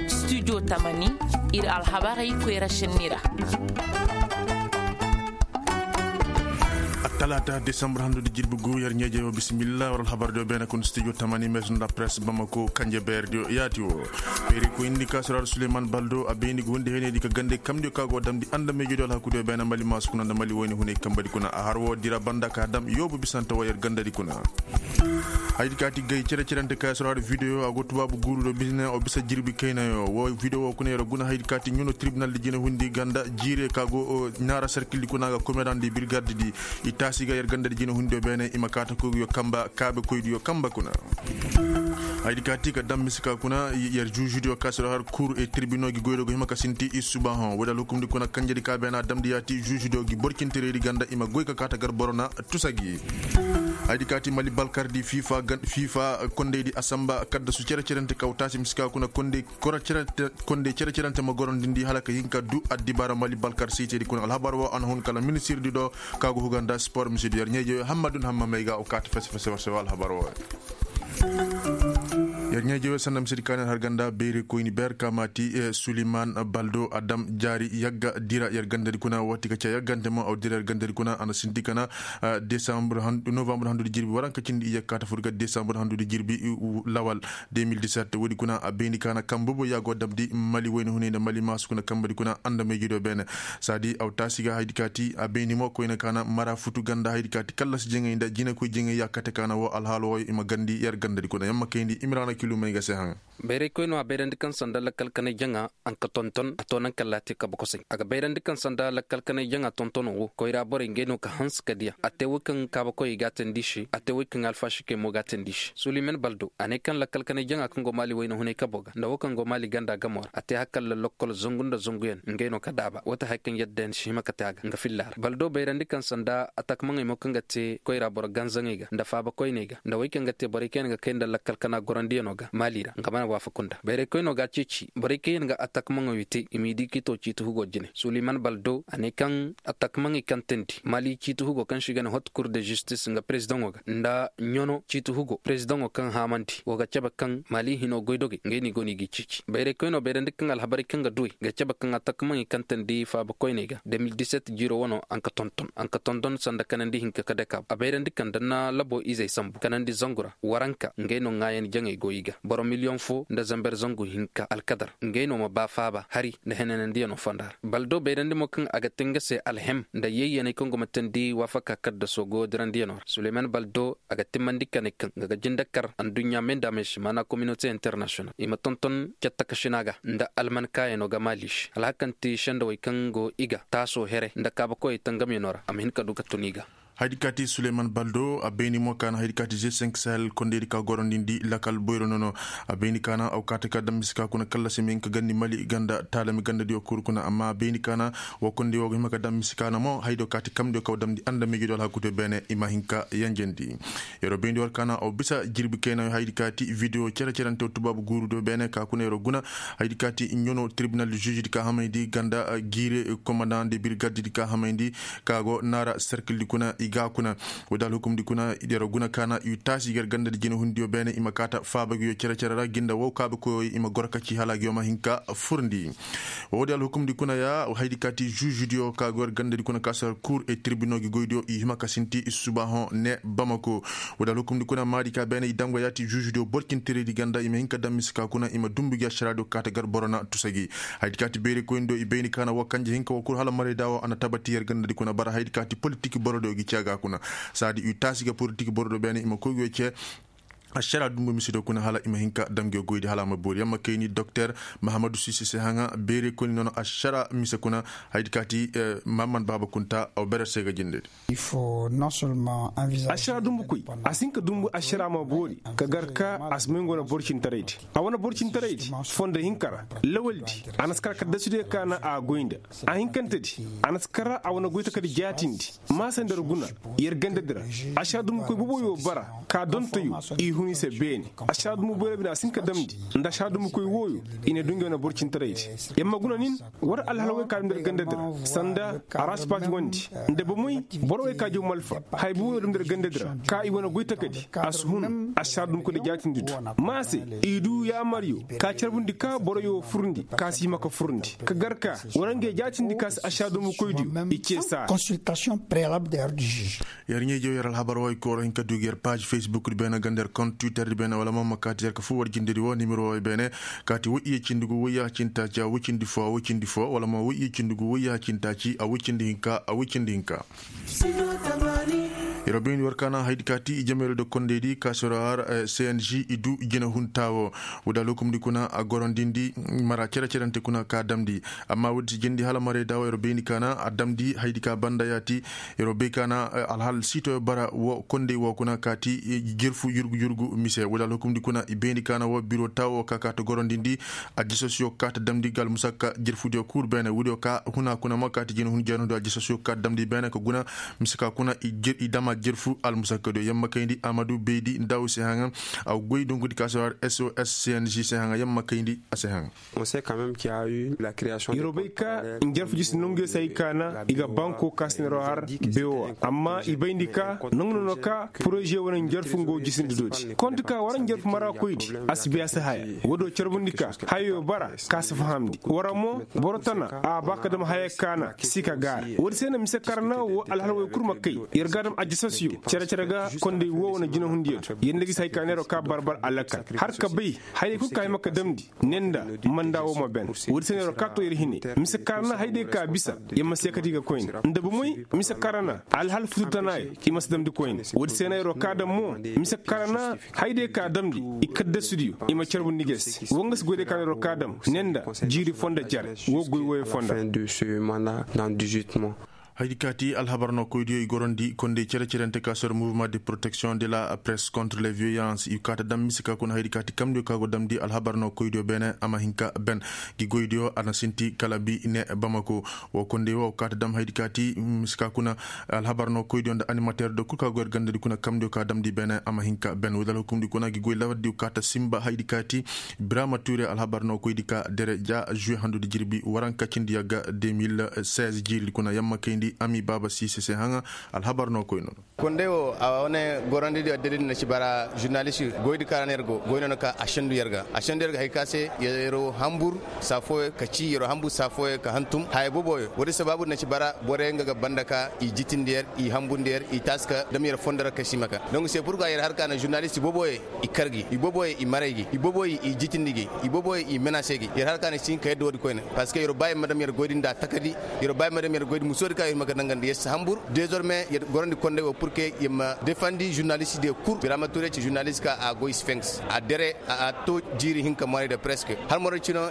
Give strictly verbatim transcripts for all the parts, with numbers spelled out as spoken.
Studio tamani, ir alhabarey koyra šenni ra. Attalaata desambar handudi jirbi gu yer ɲeejey wo bisimilla war alhabar diyo beene kun studio tamani maison de la presse bamako kanje beer diyo yaati wo. Beeri koyndi ka soraar suleman baldo a bayndi ga hundi heney di ka gande kamdiyo ka go damndi andamey jodiyo alhakudiyo beene mali maasu kuna nda mali woyne huney kambadi kuna a har wo dira banda ka dam yoobu bisante wo yer gandadi kuna. Haydi kaati gay cere-cerente ka soraar video a go tubaabu guuru do bisne o bisa jirbi kaynayo wo video wo kuna yer guna haydi kaati ɲuno tribunal di jine hundi ganda jiire ka go naara serkil di kuna ga komerandi birgardi di. I taasi ga yer ganda di jine hundi yo beene i ma kaata koygu yo kamba kaabe koydi yo kamba kuna. Haydi kaati ka dam misika kuna yer juužudiyo ka soraar kuur e tirbino gi goydo go hima ka sinti i subahoŋ woodi alhukumdi kuna kanjedi ka beena damndi yaati juužudiyo gi borcinteredi ganda i ma goy ka kaata gar boro na tusa gi. Haydi kaati mali balkardi fiifa kondeydi asamba kaddasu cere-cerente kaw taasi misika kuna kondey cere-cerente ma gorondindi hala ka hin ka du addibaara mali balkar siitedi kuna alhabar wo a na hun kala ministirdi do ka go huga nda sport misidu yer ɲeeje yo hammadun hamma may ga o kaata fese-fese war se wo alhabar wo. Yer ɲeeje we sanda misedi kaani har ganda beeri koyni ber ka maati suliman baldo a dam jaari yagga dira yer gandadi kuna wati ka ca yaggante mo aw dira yer gandadi kuna a na sinti kana novambre handudi jirbi waranka cindi i yagga kaata fur ga desambur handudi jirbi lawal. Deux mille dix-sept woodi kuna a bayndi kaana kambe boy ya go damndi mali woyne hunay nda mali maasu kuna kambadi kuna andamey jido beene. Saadi aw taasi ga haydi kaati a bayndi mo koyne kaana mara futu ganda haydi kaati kallas jaŋay nda jinakoy jaŋay ya kate kaana wo alhaalo wooyo i ma gandi yer gandadi kuna yamma kayndi imiraana kilumey ga se haŋ. Bayray koy no a bayrandi kaŋ sanda lakkal kanay jaŋa a nka tonton a to naŋ kaŋ laati kabe kosay a ga bayrandi kaŋ sanda lakkal kanay jaŋa tontono wo koyra borey ngey no ka hanse ka diya a te way kaŋ kaabakoyey ga a teendi i se a te way kaŋ alfasikey mo ga a teendi i se suliman baldo a ne kaŋ lakkal kanay jaŋa kaŋ go maali wayna hunay kabo ga nda wo kaŋ go maali ganda gamo ra a te hakalla lokkol zangu nda zanguyaŋ ngey no ka daaba wate haya kaŋ yadda yaŋ si hima ka te a ga nga filla ra baldo bayrandi kaŋ sanda atakmaŋey mo kaŋ ga te koyra boro ganzaŋey ga nda faabakoyney ga nda wey kaŋ ga te borey kaŋ yaŋ ga kay nda lakkal kana gorandiyaŋo ga maali ra nga mana waafaku nda bayraykoyno ga a ceeci borey kaŋ yaŋ ga atakmaŋey te i m'i di k'i to ciiti hugo jine suliman baldo a ne kaŋ atakmaŋey kaŋ teendi maali ciiti hugo kaŋ se i ga ne hot kur de zistis nga perezidaŋo ga nda ɲano ciiti hugo perezidaŋo kaŋ haamandi wo ga cabe kaŋ maali hino goydogey ngey no i go no i g'i ceeci bayraykoyno bayrandi kaŋ alhabarey kaŋ ga duwey ga cabe kaŋ atakmaŋey kaŋ teendi faabakoyney ga deux mille dix-sept jiiro wano a nka tonton a nka tonton sanda kanandi hinka ka daka a bayrandi kaŋ da na labo izey sambu kanandi zangu ra waranka ngey no ŋaayan jaŋey go i ga boro miliyoŋ fo nda zamber zangu hinka alkadar ngey no ma ba faaba hari nda henanandiyano fonda ra baldo bayrandi mo kaŋ a ga te nga se alhem nda yayyaney kaŋ go ma teendi waafaka kaddaso go dirandiyano ra suleyman baldo a ga timmandi kane kaŋ nga ga jinde kar adduɲɲa meendaamey se maana kominote internasiyonal i ma tonton cattakasina ga nda almankaayanoo ga maali se alhakanti sendawey kaŋ go i ga taasoo here nda kaabakoyey tangamyanoo ra a ma hin ka du ka tun i ga. Haydi kaati suleyman baldo a bayni mo kaana haydi kaati g cinq sahel kondeydi ka gorondindi lakal boyro nono a bayni kaana aw kaati ka dam mise ka kuna kallasi ma hin ka gandi mali ganda taalami gandadiyo kuru kuna amma a bayni kaana wo kondey wo ga hima ka dam mise kaana mo haydo kaati kamdiyo kaw damndi andamiijidiyo alhakudiyo beene i ma hin ka yanjandi. Yeroo bayndi war kaana aw bisa jirbi kaynayo haydi kaati video cere-cerante wo tubaabu guurudiyo beene ka kuna yeroo guna haydi kaati ɲono tribinal de žužedi ka hamayndi ganda jiire komandan de birgaddi di ka hamayndi ka go naara serkildi kuna i ga kuna. Woodi alhukumdi kuna yeroo guna kaana i taasi gar gandadi jinehundiyo beene i ma kaata faaba nguyo cere-cere ra ginda wow kaabe koyoo i ma goro ka ci hala nguyo ma hin ka furndi. Woodi alhukumdi kuna ya haydi kaati žužudiyo ka go yer gandadi kuna ka sar kuur e tirbinoo gi goydiyo i hima ka sinti i subaahoŋ ne bamako. Woodi alhukumdi kuna maadi ka beene i dam ga yaati žužudiyo borcinteredi ganda i ma hin ka dam mise ka kuna i ma dumbu gi ašaraadiyo kaata gar boro na tusa gi. Haydi kaati beeri koynidiyo i bayni kaana woo kanje hinka woo kul hala marayda woo a na tabati yer gandadi kuna bara haydi kaati politik borodiyo gi cee ga kuna. Saadi i taasi ga politik borodiyo beene i ma koy nguyo cee. Ašara dumbu mise do kuna hala i ma hin ka dam nguyo goydi hala a ma boori yamma kayni doktor mahamadu sisi se haŋa beere koyni nono ašara mise kuna. Haydi kaati mahammad baaba kunta aw berer se ga jindedi. Ašara dumbu koy a si hin ka dumbu ašara ma boori ka gar ka a si may ngo na borcintaraydi a wane borcintaraydi fondo hinka ra lawaldi a na si kar ka dasudiyo ka na a goy nda a hinkantedi a na si kar a wane goy takadi jaatindi. Maasa nda yer guna yer gandadi ra ašara dumbu koy boboyo bara ka dontoyo i hun i se beene. Ašaadumbu boyro bine a si hin ka damndi nda ašaadumbukoy wooyo. I na du ngey wane boro cintaraydi. Yamma guna nin war alhalawey ka damndi yer gandadi ra sanda araspaati wondi nda bomey borowey ka jaw malfa haya boobo no damndi yer gandadi ra ka i wane goy takadi a si hun ašaadumbukoy nda jaatindi du. Ma se i du yaamaryo ka carbundi ka boroyo furndi ka si hima ka furndi ka gar ka war ngey jaatindi ka si ašaadumbukoydiyo i cee saara. Yer ɲaa-ijewey yer alhabar wo ay kooro hin ka du ga yer paaz facebook di beene ganda yer kont twitter di beene wala ma ma kaati yer ka foo war jindedi wo nimero wo ay beene. Kaati woy iyye cindi gu woy yaaha cindi taaci a woy cindi foo a woy cindi foo wala ma woy iyye cindi gu woy yaaha cindi taaci a woy cindi hinka a woy cindi hinka. Yer wo bayndi war kaana haydi kaati i jameerey do kondey di ka si war har cng i du jinehuntaa wo. Woo da lokumdi kuna a gorondindi mara cere-cerante kuna ka damndi. Amma woodi si jindi hala marayda wo yer wo bayndi kaana a damndi haydi ka banda yaati. Yer wo bay kaana alhal siitoyo bara wo kondey wo kuna kaati jerfu yurgu-yurgu mise woo da lokumdi kuna i bayndi kaana wo biro taa wo ka kaata gorondindi. Ajasosiyo ka ta damndi ga almusakka jerfudiyo kul beene woodiyo ka huna kuna ma kaati jinehun jeenoodiyo ajasosiyo ka ta damndi beene ka guna. Mise ka kuna i dama jerfu almusakkadiyo yamma kayndi amadu baydi nda wo se haŋa. A goy dungudi ka se har sos cng se haŋa yamma kayndi a se haŋa. Yer wo bay ka njarfu jisi nonguyo se hay kaana i ga banko ka se neeroo har beewo amma i bayndi ka nongu nono ka poroze wane njarfu nga wo jisindi dooti konti ka war njarfu marakoydi. A si bay a si haya woodiyo carbundi ka hayo bara ka si fahamndi war mo boro tana a ba ka dam haya kaana si ka gaara. Woodi se na mise karana wo alhalawey kul ma kay yer ga a dam ajasosiyo cere-cere ga kondey wo wane jinahundiyo do yer nda gisi hay ka neeroo ka barbar alakal har ka bay hayey kul ka hima ka damndi ne nda manda wo ma ben. Woodi se na yer wo ka to yer hine mise karana haydey ka bisa yer ma seekati ga koyne nda bomey mise karana alhal futu tanaayo i ma si damndi koyne. Woodi se na yer wo ka daŋ mo mise karana haydey ka damndi i kaddasudiyo i ma carbundi ga se wo nga si goydey ka na yer wo ka daŋ ne nda jiiri foo nda jare wo goy wooyo foo nda. Haydi kaati alhabar no koydiyo i gorandi kondey cere-cerente ka sor mouvement de protection de la presse contre les violences i kaata dam mise ka kuna haydi kaati kamdiyo ka go damndi alhabar no koydiyo beene a ma hin ka ben. Gi goydiyo a na sinti kala bi ne bamako. Wo kondey wo kaata dam haydi kaati mise ka kuna alhabar no koydiyo nda animateer do kul ka go yer gandadi kuna kamdiyo ka damndi beene a ma hin ka ben woodi alhukumdi kuna gi goy lawardiyo kaata sinba haydi kaati. Biraama tuure alhabar no koydi ka dere ja žuwe handudi jirbi waranka cindi yagga deux mille seize jiiridi kuna yamma kayndi ami baaba siise se haŋa. Alhabar no koy no. Kondey wo a wane gorandi di addadi na ci bara žurnalist goydi ka ra na yer go goy no na ka a sendu yer ga a sendu yer ga hay ka se yer wo hambur saa fooyo ka ci yer wo hambur saa fooyo ka hantum haya boboyo woodi sabaabu na ci bara borey nga ga banda ka i jitindi yer i hambundi yer i taasi ka dam yer fondo ra ka si ma ka donc se pur ga yer har ka na žurnalist boboyo i kar gi i boboyo i maray gi i boboyo i jitindi gi i boboyo i menase gi yer har ka na si hin ka yadda woodi koyne. Parceque yer wo ba yer ma dam yer goydi nda takadi yer wo ba yer ma dam yer goydi musoodi ka yer ma ka dangandi yer si hambur désormais yer gorandi kondey wo purke yer ma defandi žurnalist de kul birama ture ci žurnalist ka a goy sphinx a dere a to jiiri hinka moray de presque har moro cino.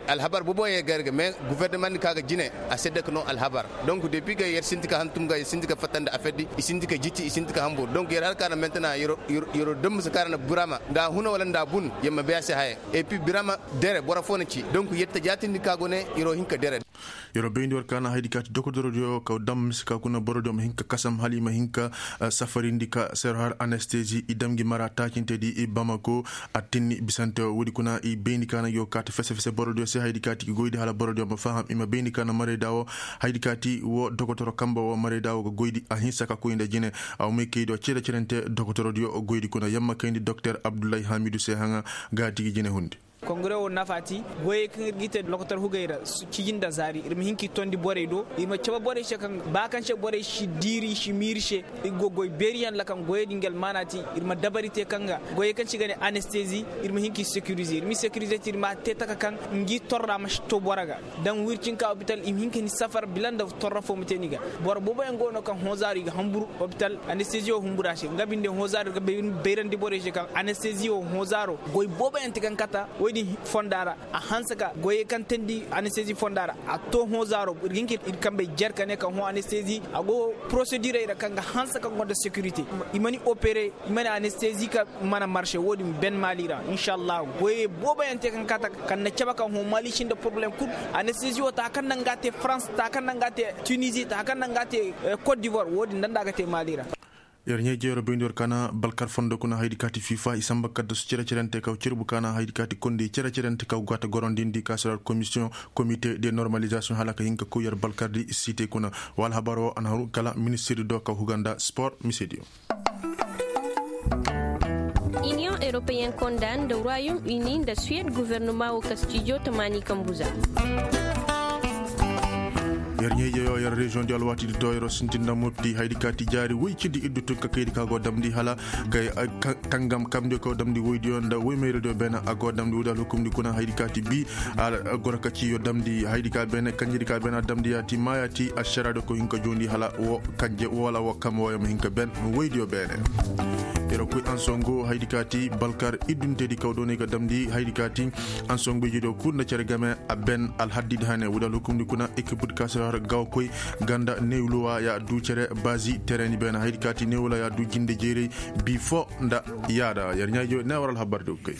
Alhabar boboyo yer ga yer ga mais gouvernement di ka ga jine a sedde ka no alhabar. Donc depuis ga yer sinti ka hantum ga yer sinti ka fattandi a feddi i sinti ka jiti i sinti ka hambur donc yer har ka na maintenant yer wo dam mise ka ra na burama nda a huna wala nda a bun yer ma bay a se haya. Et puis birama dere boro foo na ci donc yer ta jaatindi ka go ne yer wo hin ka dere. Yer wo bayndi war ka na haydi kaati dokotorodiyo ka dam mise ka kuna borodiyo ma hin ka kasam hala i ma hin ka safarindi ka sero har anestesi i dam gi mara taacintedi i bamako. Attinni bisante wo woodi kuna i bayndi ka na gi wo kaati fese-fese borodiyo se haydi kaati gi goydi hala borodiyo ma faham i ma bayndi ka na marayda wo haydi kaati wo dokotoro kamba wo marayda wo ga goydi a hinsa ka koy nda jine. A wo may kaydiyo cere-cerente dokotorodiyo goydi kuna yamma kayndi doktor abdullahi hamidu se haŋa. Gaati gi jine hundi. Kongre wo nafa ti goyey kaŋ ir g'i te lokotor hugey ra, cijin nda zaari ir ma hin k'i tondi borey do. Ir ma cabe borey se kaŋ ba kaŋ se borey si diiri i si miiri se. Ir go goy beeriyaŋ ra kaŋ goyey din ga almaana ti. Ir ma dabari te kaŋ ga goyey kaŋ se i ga ne anestezi. Ir ma hin k'i sekirize ir m'i sekirize te ir ma te taka kaŋ ngi torra ma si to boro ga. Daŋ wircinka opital i ma hin ka ni safar bila nda torra fo ma te ni ga. Boro booboyaŋ go no kaŋ hõzaaro i ga hamburu opital anestezi wo humbura se nga binde hõzaaro ir ga bayrandi borey se kaŋ anestezi wo hõzaaro goy booboyaŋ te kaŋ kata. Woy din fonda ra a hanse ka goyey kaŋ teendi anestezi fonda ra. A to hõzaaro ir ga hin ka ir kambey jer ka ne kaŋ hõ anestezi a go porosedirey ra kaŋ ga hanse kaŋ gonda sekirite. I ma ni opere i ma ni anestezi ka mana marse wo- din ben maali ra inshallah. Goyey booboyaŋ te kaŋ kata kaŋ na cabe kaŋ hõ maali sinda poroblem kul. Anestezi wo ta kaŋ naŋ ga a te farans ta kaŋ naŋ ga a te tunizi ta kaŋ naŋ ga a te kot divoir wo- din nda nda a ga te maali ra. Yer ɲaa-ije yer bayndi war kaana balkar fondo kuna haydi kaati fifa i samba kaddasu cere-cerente kaw cerbu kaana haydi kaati kondi cere-cerente kaw gata gorondindi kaasirar komisiyoŋ, komite de normalizasiyoŋ hala ka hin ka koy yer balkardi site kuna. Wa alhabar wo a na haru kala ministirdi do kaw huga nda spor misediyo. Iniyoŋ eropeyen konda nda ruwayom ini nda suwed guvernoma wo kastijo tamaani kambu za. Yer ɲaa-ije yo yer reziyoŋ di alwaati di do yer wo sintin nda mopti haydi kaati jaari woy cindi iddu tun ka kaydi ka go damndi hala kay tangam kamndi kaw damndi woydiyo nda woy mayradiyo beene a go damndi woydi alhukumndi kuna haydi kaati bi. Goro ka ciyo damndi haydi ka beene kanjedi ka beene a damndi yaati ma yaati ašaraadiyo kaw hin ka joondi hala wo kanje wala wo kam woyo ma hin ka ben. Woydiyo beene. Yer wo koy ansongo haydi kaati balkar iddunteedi kaw doonay ka damndi haydi kaati ansongo ijediyo kul nda cere game a ben alhaddidi hane woodi alhukumndi kuna ekipudi ka si har gawa koy ganda newluwa ya du cere bazi tereni beene haydi kaati newla ya du jinde jeeray. Bi fo nda yaada yer ɲaa-ije ne war alhabardi ga koy.